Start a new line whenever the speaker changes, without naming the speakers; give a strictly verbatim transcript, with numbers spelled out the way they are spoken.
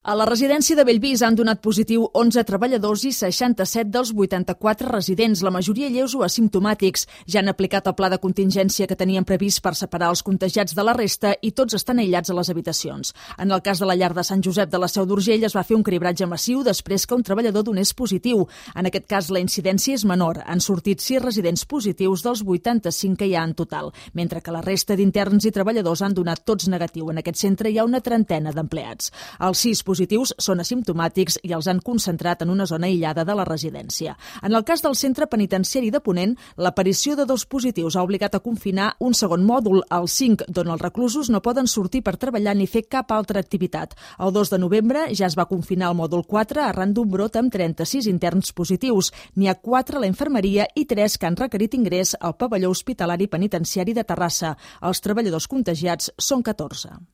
A la residència de Bellvís han donat positiu onze treballadors i seixanta-set dels vuitanta-quatre residents, la majoria lleus o asimptomàtics. Ja han aplicat el pla de contingència que tenien previst per separar els contagiats de la resta i tots estan aïllats a les habitacions. En el cas de la llar de Sant Josep de la Seu d'Urgell es va fer un cribratge massiu després que un treballador donés positiu. En aquest cas la incidència és menor. Han sortit sis residents positius dels vuitanta-cinc que hi ha en total, mentre que la resta d'interns i treballadors han donat tots negatiu. En aquest centre hi ha una trentena d'empleats. Els sis positius són asimptomàtics i els han concentrat en una zona aïllada de la residència. En el cas del centre penitenciari de Ponent, l'aparició de dos positius ha obligat a confinar un segon mòdul, el cinc, d'on els reclusos no poden sortir per treballar ni fer cap altra activitat. El dos de novembre ja es va confinar el mòdul quatre arran d'un brot amb trenta-sis interns positius. N'hi ha quatre a la infermeria i tres que han requerit ingrés al pavelló hospitalari penitenciari de Terrassa. Els treballadors contagiats són catorze.